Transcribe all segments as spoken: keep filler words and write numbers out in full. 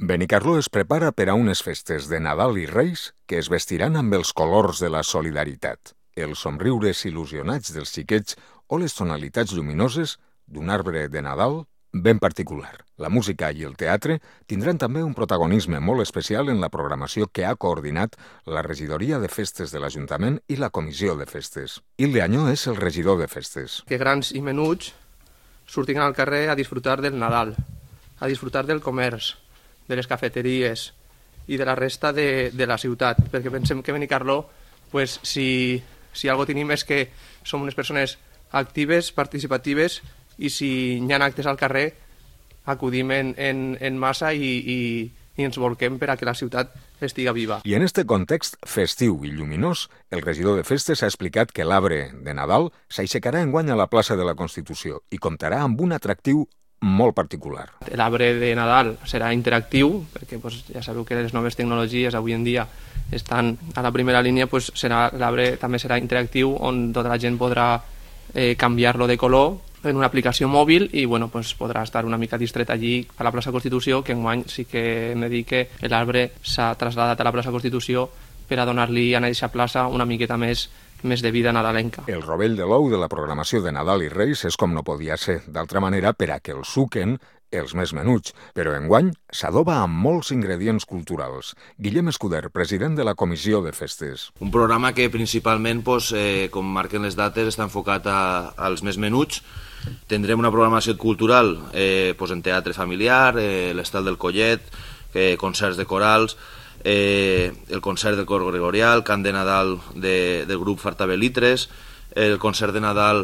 Benicarló es prepara per a unes festes de Nadal i Reis que es vestiran amb els colors de la solidaritat, els somriures il·lusionats dels xiquets o les tonalitats lluminoses d'un arbre de Nadal ben particular. La música i el teatre tindran també un protagonisme molt especial en la programació que ha coordinat la Regidoria de Festes de l'Ajuntament i la Comissió de Festes. Hilde Añó és el regidor de festes. Que grans i menuts surtin al carrer a disfrutar del Nadal, a disfrutar del comerç, de les cafeteries i de la resta de, de la ciutat, perquè pensem que Benicarló, pues, si, si algo tenim és que som unes persones actives, participatives, i si hi ha actes al carrer acudim en, en, en massa i, i, i ens volquem per a que la ciutat estiga viva. I en este context festiu i lluminós, el regidor de festes ha explicat que l'arbre de Nadal s'aixecarà enguany a la plaça de la Constitució i comptarà amb un atractiu molt particular. L'arbre de Nadal serà interactiu, perquè pues, ja sabeu que les noves tecnologies avui en dia estan a la primera línia, pues, serà, l'arbre també serà interactiu, on tota la gent podrà eh, canviar-lo de color en una aplicació mòbil i bueno, pues, podrà estar una mica distret allí a la plaça Constitució, que enguany sí que hem de dir que l'arbre s'ha traslladat a la plaça Constitució per a donar-li a aquesta plaça una miqueta més més de vida nadalenca. El rovell de l'ou de la programació de Nadal i Reis és com no podia ser, d'altra manera per a que el suquen els més menuts, però enguany s'adoba amb molts ingredients culturals. Guillem Escuder, president de la Comissió de Festes. Un programa que principalment, pues, eh, com marquen les dates, està enfocat a, als més menuts. Tindrem una programació cultural eh, pues, en teatre familiar, eh, l'estal del Collet, eh, concerts de corals, Eh, el concert del cor gregorial, cant de Nadal de, del grup Fartabelitres, el concert de Nadal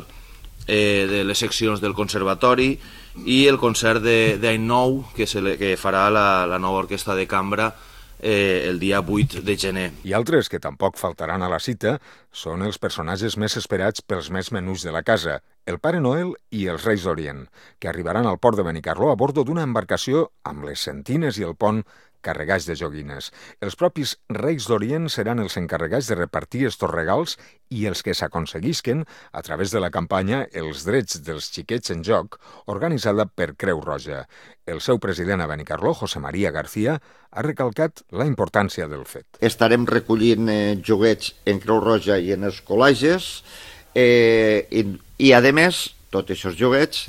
eh, de les seccions del conservatori i el concert d'Any Nou que, se le, que farà la, la nova orquestra de cambra eh, el dia vuit de gener. I altres que tampoc faltaran a la cita són els personatges més esperats pels més menuts de la casa, el Pare Noel i els Reis d'Orient, que arribaran al port de Benicarló a bordo d'una embarcació amb les sentines i el pont carregats de joguines. Els propis Reis d'Orient seran els encarregats de repartir estos regals i els que s'aconseguisquen a través de la campanya Els drets dels xiquets en joc, organitzada per Creu Roja. El seu president a Benicarló, José María García, ha recalcat la importància del fet. Estarem recollint eh, joguets en Creu Roja i en els col·legis eh, i, i a més, tots aquests joguets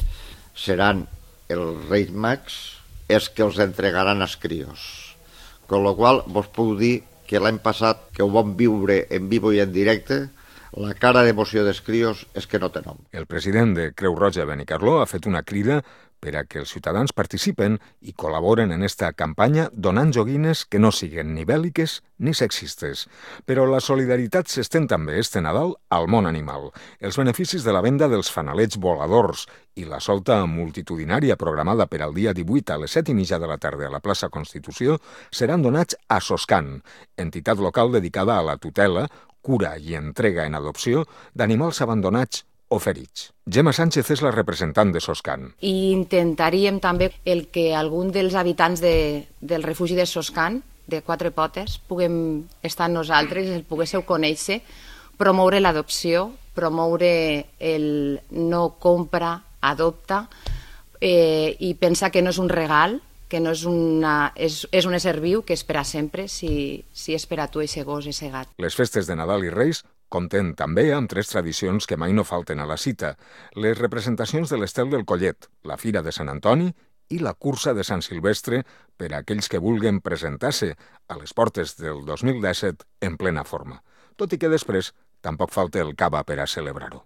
seran els Reis Mags és que els entregaran als crios. Con lo qual, vos puc dir que l'any passat, que ho vam viure en vivo i en directe, la cara d'emoció dels crios és que no té nom. El president de Creu Roja Benicarló ha fet una crida per a que els ciutadans participen i col·laboren en esta campanya donant joguines que no siguen ni bèl·liques ni sexistes. Però la solidaritat s'estén també este Nadal al món animal. Els beneficis de la venda dels fanalets voladors i la solta multitudinària programada per al dia divuit a les set i mitja de la tarda a la plaça Constitució seran donats a Soscan, entitat local dedicada a la tutela, cura i entrega en adopció d'animals abandonats o ferits. Gemma Sánchez és la representant de Soscan. I intentaríem també el que algun dels habitants de, del refugi de Soscan, de Quatre Potes, puguem estar amb nosaltres, el poguésseu conèixer, promoure l'adopció, promoure el no compra, adopta, eh, i pensar que no és un regal, que no és, una, és, és un ésser viu que és per a sempre, si, si és per a tu ese gos, ese gat. Les festes de Nadal i Reis compten també amb tres tradicions que mai no falten a la cita: les representacions de l'Estel del Collet, la Fira de Sant Antoni i la Cursa de Sant Silvestre per a aquells que vulguen presentar-se a les portes del dos mil disset en plena forma. Tot i que després tampoc falta el cava per a celebrar-ho.